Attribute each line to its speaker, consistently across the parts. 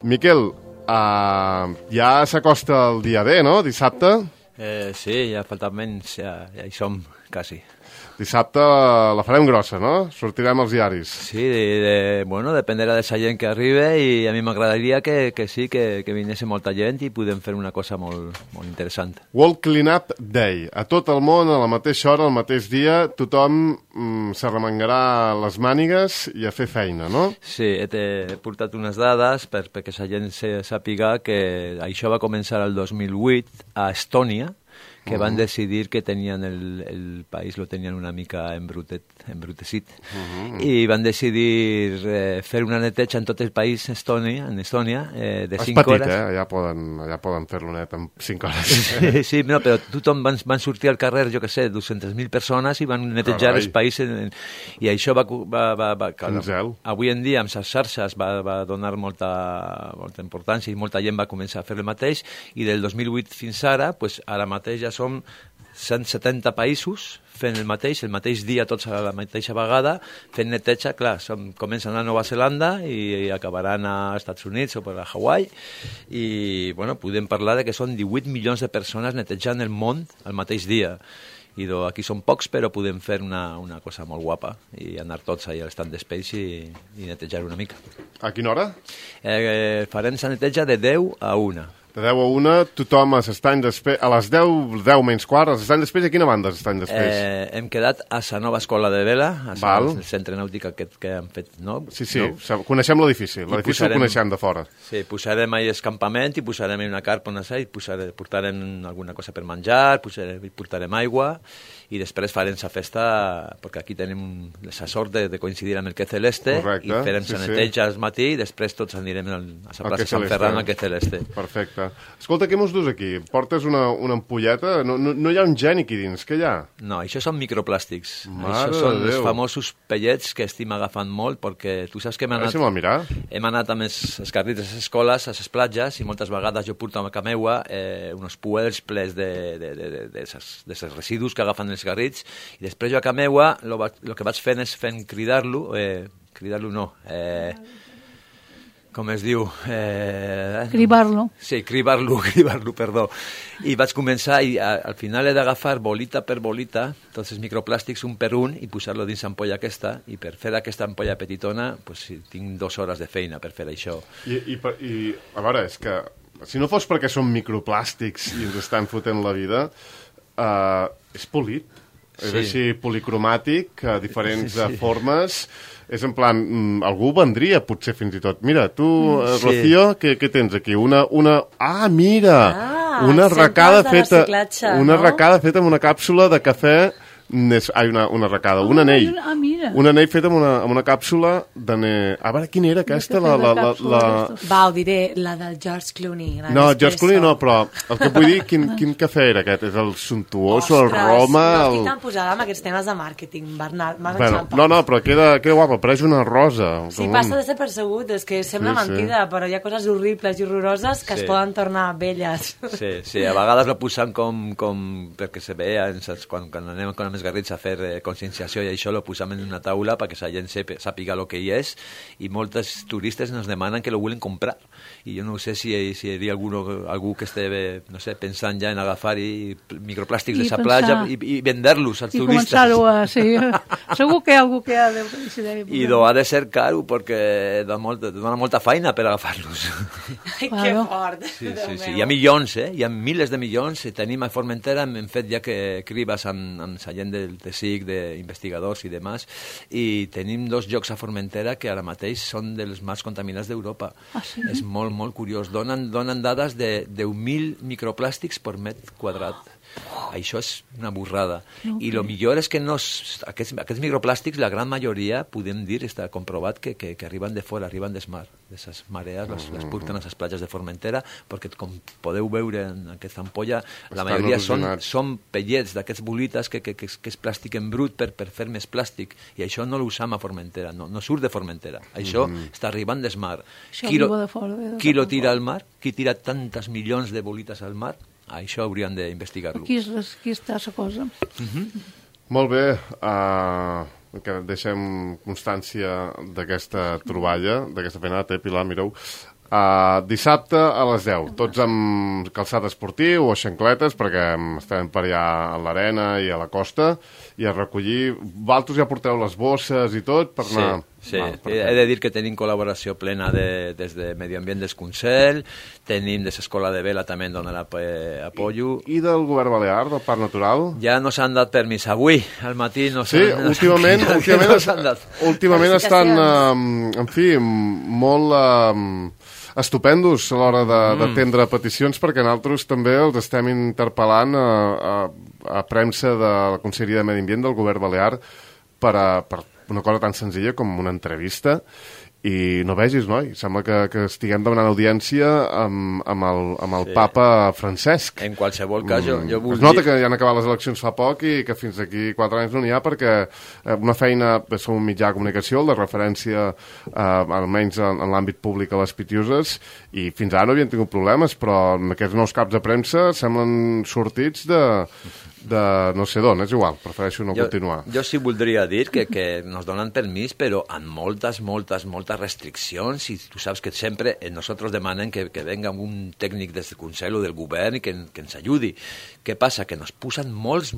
Speaker 1: Miquel, ja s'acosta el dia D, no? Dissabte?
Speaker 2: Sí, ja falta menys, ja hi som, quasi.
Speaker 1: Dissabte la farem grossa, no? Sortirem als diaris.
Speaker 2: Sí, bueno, dependrà de la gent que arribi i a mi m'agradaria que sí, que vingués molta gent i podem fer una cosa molt interessant.
Speaker 1: World Cleanup Day. A tot el món, a la mateixa hora, al mateix dia, tothom s'arremangarà les mànigues i a fer feina, no?
Speaker 2: Sí, he portat unes dades perquè la gent sàpiga que això va començar el 2008 a Estònia, que van decidir que tenien el país lo tenien una mica embrutecit i van decidir fer una neteja en tot el país en Estònia de 5 hores.
Speaker 1: És petit, allà poden fer-lo net en 5 hores.
Speaker 2: Sí, no, però tothom van sortir al carrer, jo què sé, 200.000 persones i van netejar els països i això va avui en dia amb les xarxes va donar molta importància i molta gent va començar a fer el mateix i del 2008 fins ara, pues, ara mateix ja som 170 països fent el mateix dia, tots a la mateixa vegada, fent neteja, clar, comencen a Nova Zelanda i acabaran als Estats Units o per a Hawaii, i bueno, podem parlar de que són 18 milions de persones netejant el món al mateix dia. I aquí són pocs, però podem fer una cosa molt guapa i anar tots allà a l'estand d'espais i netejar una mica.
Speaker 1: A quina hora?
Speaker 2: Farem la neteja de 10 a 1.
Speaker 1: De 10 a 1, tothom a l'estany d'espais, a les 10 menys quart, a l'estany d'espais, a quina banda és l'estany d'espais?
Speaker 2: Hem quedat a la nova escola de vela, al centre nàutic aquest que han fet, no?
Speaker 1: Sí, coneixem l'edifici el coneixem de fora.
Speaker 2: Sí, posarem ahí el campament i posarem una carpa on i portarem alguna cosa per menjar, portarem aigua i després farem la festa, perquè aquí tenim la sort de coincidir amb el Que Celeste. Correcte, i farem la neteja al matí i després tots anirem a la plaça Sant Ferran al Que Celeste.
Speaker 1: Perfecte. Escolta, què mos dus aquí? Portes una ampolleta? No hi ha un geni aquí dins, què hi ha?
Speaker 2: No, això són microplàstics. Això són els famosos pellets que estim agafant molt, perquè tu saps que hem anat amb els carrits a les escoles, a les platges, i moltes vegades jo porto a casa meua uns puers plens de residus que agafen els garrits, i després jo a casa meua el que vaig fent és cridar-lo no, com es diu?
Speaker 3: Cribar-lo.
Speaker 2: Sí, cribar-lo, perdó. I vaig començar, i al final he d'agafar bolita per bolita tots els microplàstics un per un i posar-lo dins l'ampolla aquesta, i per fer aquesta ampolla petitona pues, tinc 2 hores de feina per fer això.
Speaker 1: I a veure, és que si no fos perquè són microplàstics i ens estan fotent la vida, és polit, és així policromàtic, diferents formes, és en plan, algú vendria potser fins i tot. Mira, tu, Rocío, què tens aquí? Una arracada feta amb una càpsula de cafè, una arracada, un anell. Un anell fet amb una càpsula d'anell. A veure, quina era aquesta?
Speaker 4: Va, ho diré, la del George Clooney.
Speaker 1: No, George Clooney no, però el que vull dir, quin cafè era aquest? És el Suntuoso, el Roma...
Speaker 4: No estic tan posada amb aquests temes de màrqueting, Bernat.
Speaker 1: No, però queda guapa, pareix una rosa.
Speaker 4: Sí, passa de ser percebut, és que sembla mentida, però hi ha coses horribles i horroroses que es poden tornar belles.
Speaker 2: Sí, a vegades la posen com perquè se vea, quan anem amb els garrits a fer conscienciació i això lo posam en una taula perquè la gent sàpiga el que hi és, i molts turistes ens demanen que lo volen comprar, i jo no sé si hi hauria algú que estigui, no sé, pensant ja en agafar microplàstics de la platja i vendre-los als turistes.
Speaker 3: I començar-ho a... Sí. Segur que hi ha algú que ha de...
Speaker 2: I ha de ser caro perquè dona molta feina per agafar-los.
Speaker 4: Ai, que fort.
Speaker 2: Sí. Hi ha milions, hi ha milers de milions, i tenim a Formentera, hem fet ja que cribes amb la gent del TSIC, d'investigadors i demás, i tenim 2 llocs a Formentera que ara mateix són dels més contaminats d'Europa.
Speaker 3: Sí?
Speaker 2: És molt, molt curiós. Donen dades de 10.000 microplàstics per metre quadrat. Això és una burrada. I el millor és que aquests microplàstics, la gran majoria, podem dir, està comprovat que arriben de fora, arriben del mar, de les marees, les porten a les platges de Formentera, perquè com podeu veure en aquesta ampolla, la majoria són pellets d'aquests bolites que és plàstic en brut per fer més plàstic, i això no l'usam a Formentera, no surt de Formentera, això està arribant del mar. Qui lo tira al mar? Qui tira tantes milions de bolites al mar? Això haurien d'investigar-lo.
Speaker 3: Aquí està la cosa.
Speaker 1: Molt bé, que deixem constància d'aquesta troballa, d'aquesta feina. Pilar, mireu, Dissabte a les 10, tots amb calçat esportiu o xancletes, perquè estem per allà a l'arena i a la costa, i a recollir. Vosaltres ja porteu les bosses i tot per anar...
Speaker 2: Sí, he de dir que tenim col·laboració plena des de Medi Ambient del Consell, tenim des l'Escola de Vela també en donen apoyo.
Speaker 1: I del Govern Balear, del Parc Natural?
Speaker 2: Ja no s'han dat permís. Avui, al matí, no
Speaker 1: s'han dat. Sí, últimament estan, en fi, molt estupendos a l'hora d'atendre peticions, perquè nosaltres també els estem interpel·lant a premsa de la Conselleria de Medi Ambient del Govern Balear per una cosa tan senzilla com una entrevista, i no vegis, noi, sembla que estiguem demanant audiència amb el papa Francesc.
Speaker 2: En qualsevol cas, jo vull dir...
Speaker 1: Es nota que ja han acabat les eleccions fa poc i que fins aquí 4 anys no n'hi ha, perquè una feina, som un mitjà de comunicació, de referència almenys en l'àmbit públic a les Pitiuses, i fins ara no havien tingut problemes, però amb aquests nous caps de premsa semblen sortits de no sé d'on, és igual, prefereixo no continuar.
Speaker 2: Jo sí voldria dir que nos donen permís, però amb moltes restriccions, i tu saps que sempre nosaltres demanem que venga un tècnic del Consell o del Govern i que ens ajudi. Què passa? Que nos posen molts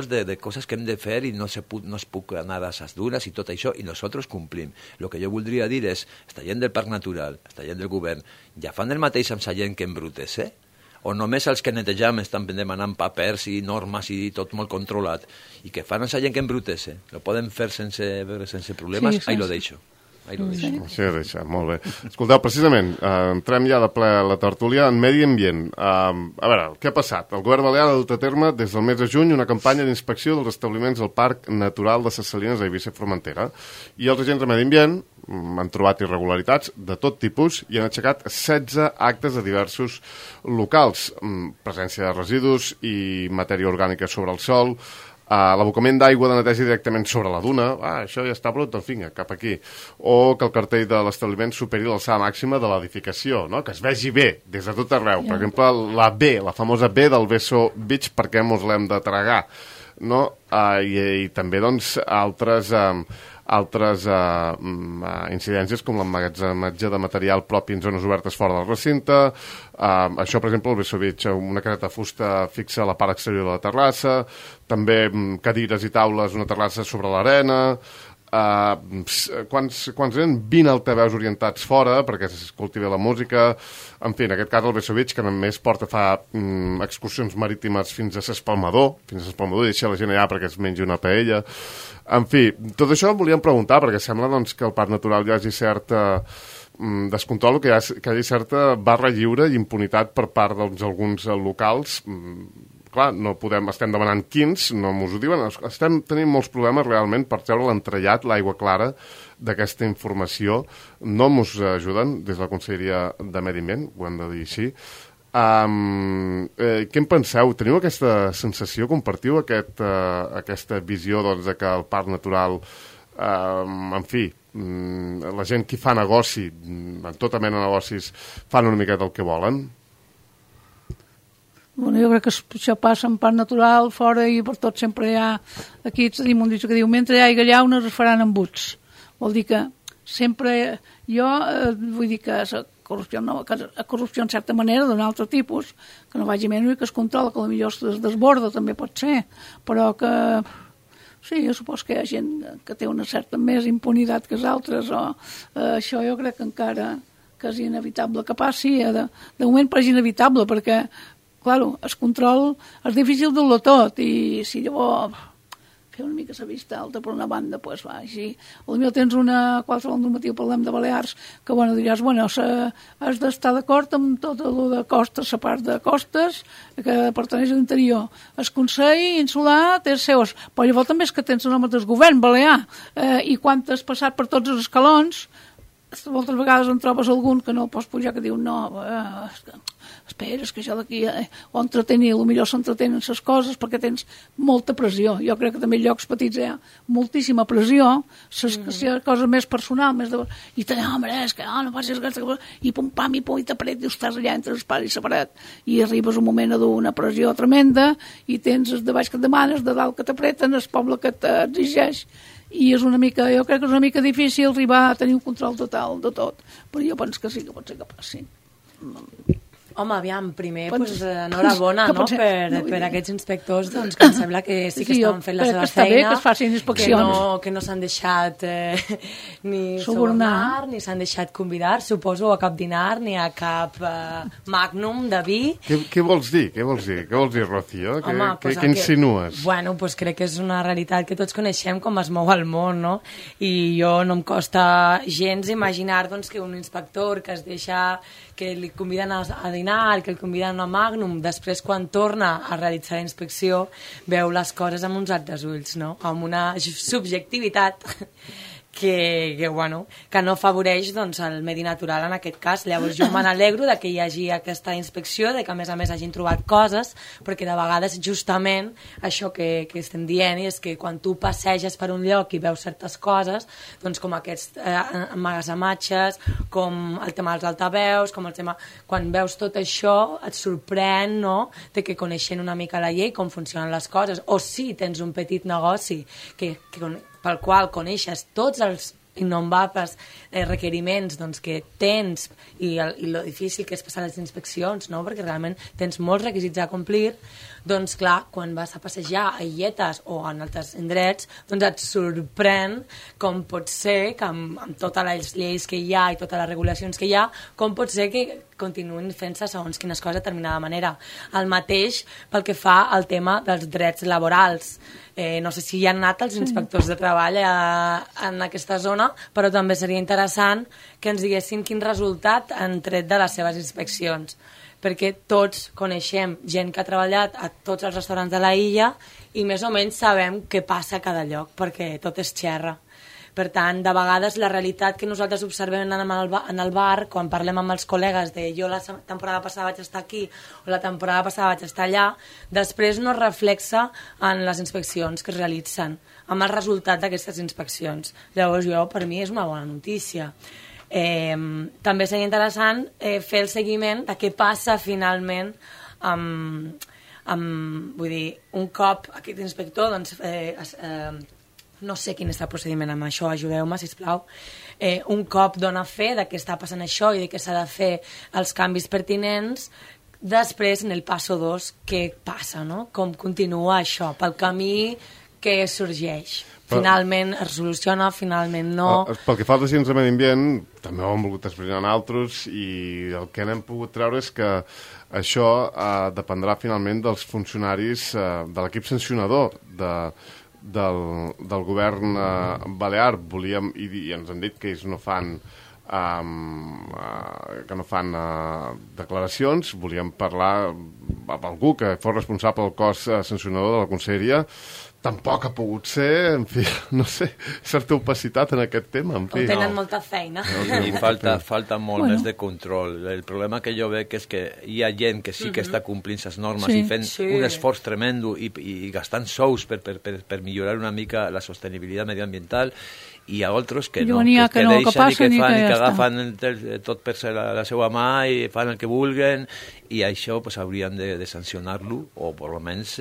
Speaker 2: de coses que hem de fer i no es puc anar a les dures i tot això, i nosaltres complim. El que jo voldria dir és, esta gent del Parc Natural, esta gent del Govern, ja fan el mateix amb la gent que embrutes, o només els que netejam estan demanant papers i normes i tot molt controlat, i que fan la gent que embrutese, lo poden fer sense problemes, ahí lo deixo.
Speaker 1: Sí, deixa, molt bé. Escolteu, precisament, entrem ja de ple a la tertúlia en Medi Ambient. A veure, què ha passat? El Govern Balear ha dut a terme des del mes de juny una campanya d'inspecció dels establiments del Parc Natural de Ses Salines a Eivissa i Formentera, i els agents de Medi Ambient han trobat irregularitats de tot tipus i han aixecat 16 actes de diversos locals, presència de residus i matèria orgànica sobre el sòl, l'abocament d'aigua de neteja directament sobre la duna, això ja està brut, doncs vinga, cap aquí, o que el cartell de l'establiment superi l'alçada màxima de l'edificació, no? Que es vegi bé des de tot arreu. Per exemple, la B, la famosa B del Beso Beach, perquè mos l'hem de tragar, no? I també, doncs, altres incidències com l'emmagatzematge de material propi en zones obertes fora del recinte, això, per exemple, el Beso Beach, una careta de fusta fixa a la part exterior de la terrassa, també cadires i taules, una terrassa sobre l'arena, quants eren? 20 altaveus orientats fora perquè s'escolti bé la música. En fi, en aquest cas el Beso Beach, que només fa excursions marítimes fins a s'Espalmador, i deixa la gent allà perquè es mengi una paella. En fi, tot això volíem preguntar, perquè sembla doncs, que al Parc Natural hi hagi cert descontrol, que hi hagi certa barra lliure i impunitat per part d'alguns locals. Clar, no podem, estem demanant quins, no mos ho diuen, estem tenint molts problemes realment per treure l'entrellat, l'aigua clara d'aquesta informació. No mos ajuden des de la Conselleria de Medi Ambient, ho hem de dir així. Què en penseu? Teniu aquesta sensació, compartiu aquesta visió doncs, de que el Parc Natural, en fi, la gent que fa negoci, en tota mena de negocis, fan una miqueta el que volen?
Speaker 3: Bueno, jo crec que això passa en Parc Natural, fora, i per tot sempre hi ha... Aquí tenim un dit que diu, mentre hi hagi llaunes es faran embuts. Vol dir que sempre... Jo vull dir que la corrupció, no, que la corrupció en certa manera d'un altre tipus, que no vagi menys i que es controla, que potser es desborda, també pot ser, però que... Sí, jo supos que hi ha gent que té una certa més impunitat que els altres, o això jo crec que encara que és inevitable que passi. De moment pareix inevitable, perquè claro, el control és difícil de-lo tot, i si llavors fer una mica la vista alta per una banda, doncs va, així. Potser tens qualsevol normatiu, parlem de Balears, que diràs, has d'estar d'acord amb tot el de costes, la part de costes, que pertaneix a l'interior. El Consell Insular té els seus, però llavors també és que tens el nom del govern balear, i quan has passat per tots els escalons, moltes vegades en trobes algun que no pots pujar, que diu, no, espera, és que això d'aquí o entretenir, potser s'entretenen les coses perquè tens molta pressió. Jo crec que també en llocs petits hi ha moltíssima pressió, si hi ha cosa més personal, més de... i te home, és que no passis aquesta cosa, i pum, pam, i pum, i t'apret, i estàs allà entre els pares i separat, i arribes un moment a d'una pressió tremenda, i tens els de baix que et demanes, de dalt que t'apreten, el poble que t'exigeix, i és una mica, jo crec que és una mica difícil arribar a tenir un control total de tot, però jo penso que sí que pot ser que passi.
Speaker 4: Home, aviam, primer, enhorabona, no?, per aquests inspectors, doncs, que em sembla que sí que estan fent la seva feina.
Speaker 3: Bé que es facin inspeccions.
Speaker 4: Que no s'han deixat ni subornar, ni s'han deixat convidar, suposo, a cap dinar, ni a cap magnum de vi.
Speaker 1: Què vols dir? Què vols dir, Rocío? Què insinues?
Speaker 4: Bueno, doncs crec que és una realitat que tots coneixem com es mou el món, no? I jo no em costa gens imaginar, doncs, que un inspector que es deixa, que li conviden a dinar, que el conviden a Magnum, després quan torna a realitzar la inspecció veu les coses amb uns altres ulls, no? Amb una subjectivitat que no afavoreix, doncs, el medi natural en aquest cas. Llavors jo me n'alegro de que hi hagi aquesta inspecció, de que a més hagin trobat coses, perquè de vegades justament això que estem dient és que quan tu passeges per un lloc i veus certes coses, doncs com aquests emmagatzematges, com el tema dels altaveus, com el tema... Quan veus tot això et sorprèn, no?, de que coneixent una mica la llei, com funcionen les coses, o si tens un petit negoci pel qual coneixes tots els innombrables requeriments, doncs, que tens i lo difícil que és passar les inspeccions, no?, perquè realment tens molts requisits a complir, doncs clar, quan vas a passejar a Illetes o en altres indrets, doncs et sorprèn com pot ser que amb totes les lleis que hi ha i totes les regulacions que hi ha, com pot ser que continuïn fent-se segons quines coses de determinada manera. El mateix pel que fa al tema dels drets laborals. No sé si hi han anat els inspectors de treball en aquesta zona, però també seria interessant que ens diguessin quin resultat han tret de les seves inspeccions, perquè tots coneixem gent que ha treballat a tots els restaurants de la illa i més o menys sabem què passa a cada lloc, perquè tot és xerra. Per tant, de vegades la realitat que nosaltres observem en el bar, quan parlem amb els col·legues de jo la temporada passada vaig estar aquí o la temporada passada vaig estar allà, després no es reflexa en les inspeccions que es realitzen, amb el resultat d'aquestes inspeccions. Llavors, per mi és una bona notícia. També seria interessant fer el seguiment de què passa finalment vull dir, un cop aquest inspector doncs, no sé quin és el procediment amb això, ajudeu-me, sisplau. Un cop dona fe de que està passant això i de que s'ha de fer els canvis pertinents, després, en el passo 2, què passa, no? Com continua això, pel camí que sorgeix. Finalment es soluciona, finalment no...
Speaker 1: Pel que fa als agents de medi ambient, també ho hem volgut explicar nosaltres i el que n'hem pogut treure és que això dependrà finalment dels funcionaris de l'equip sancionador del govern balear. Volíem, i ens han dit que ells no fan declaracions, volíem parlar amb algú que fos responsable del cos sancionador de la conselleria. Tampoc ha pogut ser, en fi, no sé, certa opacitat en aquest tema. En fi,
Speaker 4: tenen molta feina.
Speaker 2: I falta molt més de control. El problema que jo veig és que hi ha gent que sí que està complint les normes i fent un esforç tremendo i gastant sous per millorar una mica la sostenibilitat mediambiental, i a altres que no, que deixen i que fan i que agafen tot per la seva mà i fan el que vulguen, i això pues, haurien de sancionar-lo o per almenys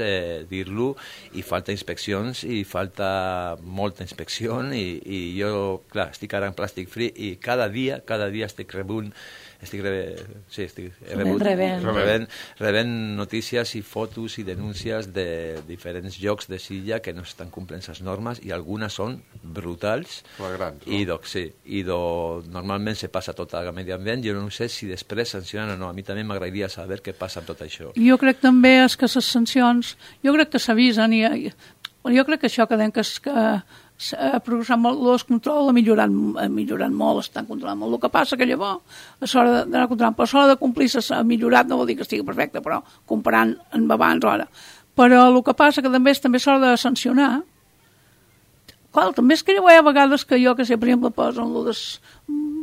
Speaker 2: dir-lo, i falta inspeccions i falta molta inspecció, i jo, clar, estic ara en Plastic Free i cada dia estic rebent notícies i fotos i denúncies de diferents llocs de Silla que no estan complint les normes, i algunes són brutals.
Speaker 1: Flagrants, no?
Speaker 2: I normalment se passa tot al medi ambient. Jo no sé si després sancionen o no. A mi també m'agradaria saber què passa amb tot això.
Speaker 3: Jo crec també que les sancions, jo crec que s'avisen, i jo crec que això que s'ha progressat molt, el control ha millorat molt, estan controlant molt. El que passa que llavors, a l'hora d'anar controlant, però a l'hora de complir s'ha millorat, no vol dir que estigui perfecte, però comparant amb abans o ara. Però el que passa que també és l'hora de sancionar. Clar, també és que hi ha vegades que jo, que sé, per exemple, posen dels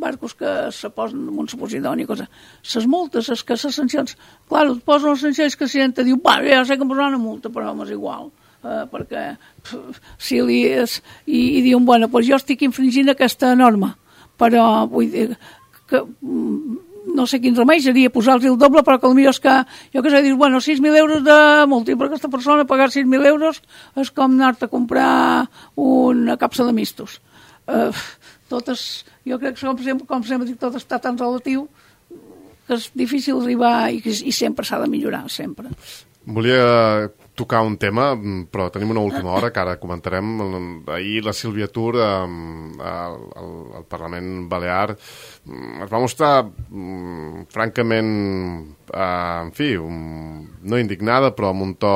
Speaker 3: barcos que se posen amb un suposidoni i coses. Les multes, les sancions, clar, et posen les sancions que la gent diu, ja sé que em posaran una multa, però és igual, perquè si li és, i diuen, bueno, doncs jo estic infringint aquesta norma, però vull dir que no sé quin remei seria posar-los el doble, però que potser és que, jo què sé, dius, bueno, 6.000 euros de multa, per aquesta persona pagar 6.000 euros és com anar-te a comprar una capsa de mistos. Totes, jo crec que com sempre dic, tot està tan relatiu que és difícil arribar i sempre s'ha de millorar, sempre.
Speaker 1: Volia tocar un tema, però tenim una última hora que ara comentarem. Ahir la Sílvia Tur al Parlament Balear es va mostrar francament, en fi, no indignada, però amb un to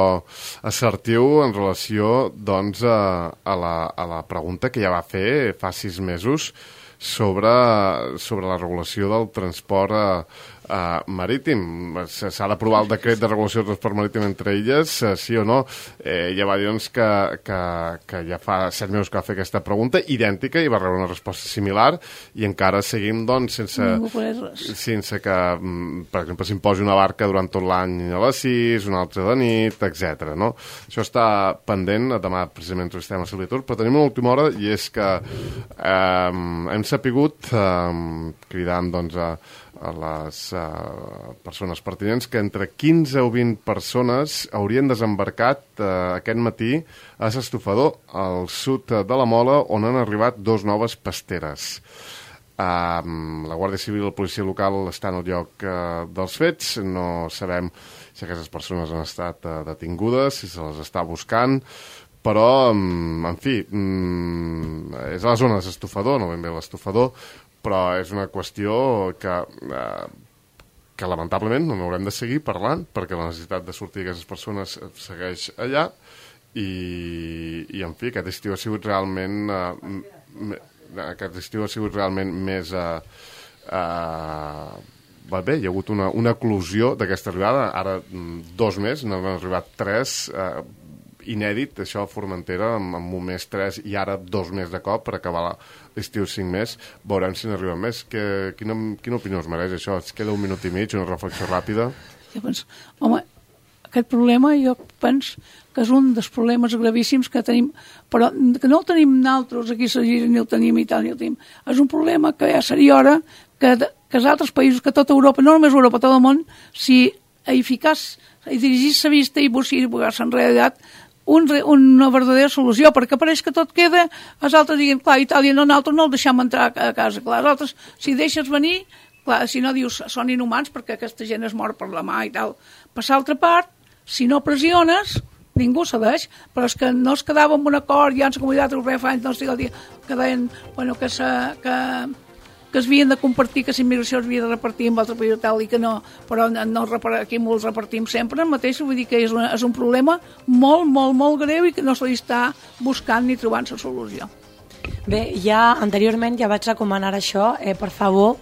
Speaker 1: assertiu en relació doncs, a la pregunta que ja va fer fa 6 mesos sobre la regulació del transport marítim. S'ha d'aprovar el decret de regulació del transport marítim entre illes, sí o no? Ja va dir doncs, que ja fa 7 mesos que va fer aquesta pregunta, idèntica, i va rebre una resposta similar, i encara seguim doncs, sense que, per exemple, s'imposi una barca durant tot l'any a les 6, una altra de nit, etc. No? Això està pendent, demà precisament entrevistem a Sílvia Tur, però tenim una última hora, i és que hem sapigut, cridant doncs, a les persones pertinents, que entre 15 o 20 persones haurien desembarcat aquest matí a S'Estufador, al sud de la Mola, on han arribat 2 noves pasteres. La Guàrdia Civil i la policia local estan al lloc dels fets. No sabem si aquestes persones han estat detingudes, si se les està buscant, però, en fi, és a la zona de S'Estufador, no ben bé l'Estufador, però és una qüestió que lamentablement no haurem de seguir parlant, perquè la necessitat de sortir d'aquestes persones segueix allà, i en fi, aquest estiu ha sigut realment més bé, hi ha hagut una eclosió d'aquesta arribada, ara 2 més, n'han arribat 3, inèdit, això a Formentera, amb un mes 3 i ara 2 més de cop per acabar l'estiu 5 més. Veurem si n'arriba més. Quina opinió us mereix això? Es queda 1 minut i mig, una reflexió ràpida.
Speaker 3: Jo penso, home, aquest problema jo penso que és un dels problemes gravíssims que tenim, però que no el tenim nosaltres aquí a Gira, ni el tenim i tal, ni el tenim. És un problema que ja seria hora que els altres països, que tota Europa, no només Europa, tot el món, si eficaç i dirigir-se vista i buscar-se en realitat una verdadera solució, perquè pareix que tot queda, els altres diguem, clar, Itàlia no, nosaltres no el deixem entrar a casa, clar, els altres, si deixes venir, clar, si no dius, són inhumans perquè aquesta gent es mor per la mà i tal, per l'altra part, si no pressiones, ningú cedeix, però és que no es quedava amb un acord, ja en la Comunitat Europea fa anys, no estic el dia, que deien, bueno, que es havien de compartir, que la immigració es havia de repartir amb altre país tal, i que no, però no aquí molts repartim sempre el mateix, vull dir que és un problema molt, molt, molt greu i que no se li està buscant ni trobant la solució.
Speaker 4: Bé, ja anteriorment ja vaig recomanar això, per favor,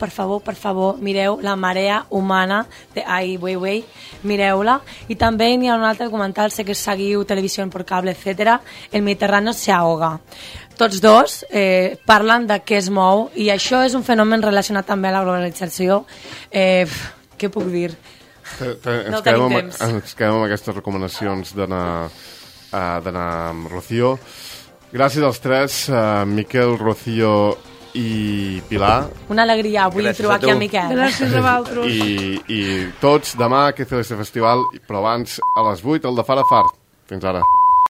Speaker 4: mireu La marea humana de Ai Weiwei, mireu-la, i també n'hi ha un altre documental, sé que seguiu Televisió per Cable, etc. El Mediterrani se ahoga. Tots dos parlen de què es mou, i això és un fenomen relacionat també a la globalització. Què puc dir? No tenim temps.
Speaker 1: Ens quedem amb aquestes recomanacions d'anar amb Rocío. Gràcies als 3, Miquel, Rocío i Pilar.
Speaker 4: Una alegria avui trobar aquí a Miquel.
Speaker 3: Gràcies a vosaltres.
Speaker 1: I tots demà que fer este festival, però abans a les 8 el de Far a Far. Fins ara.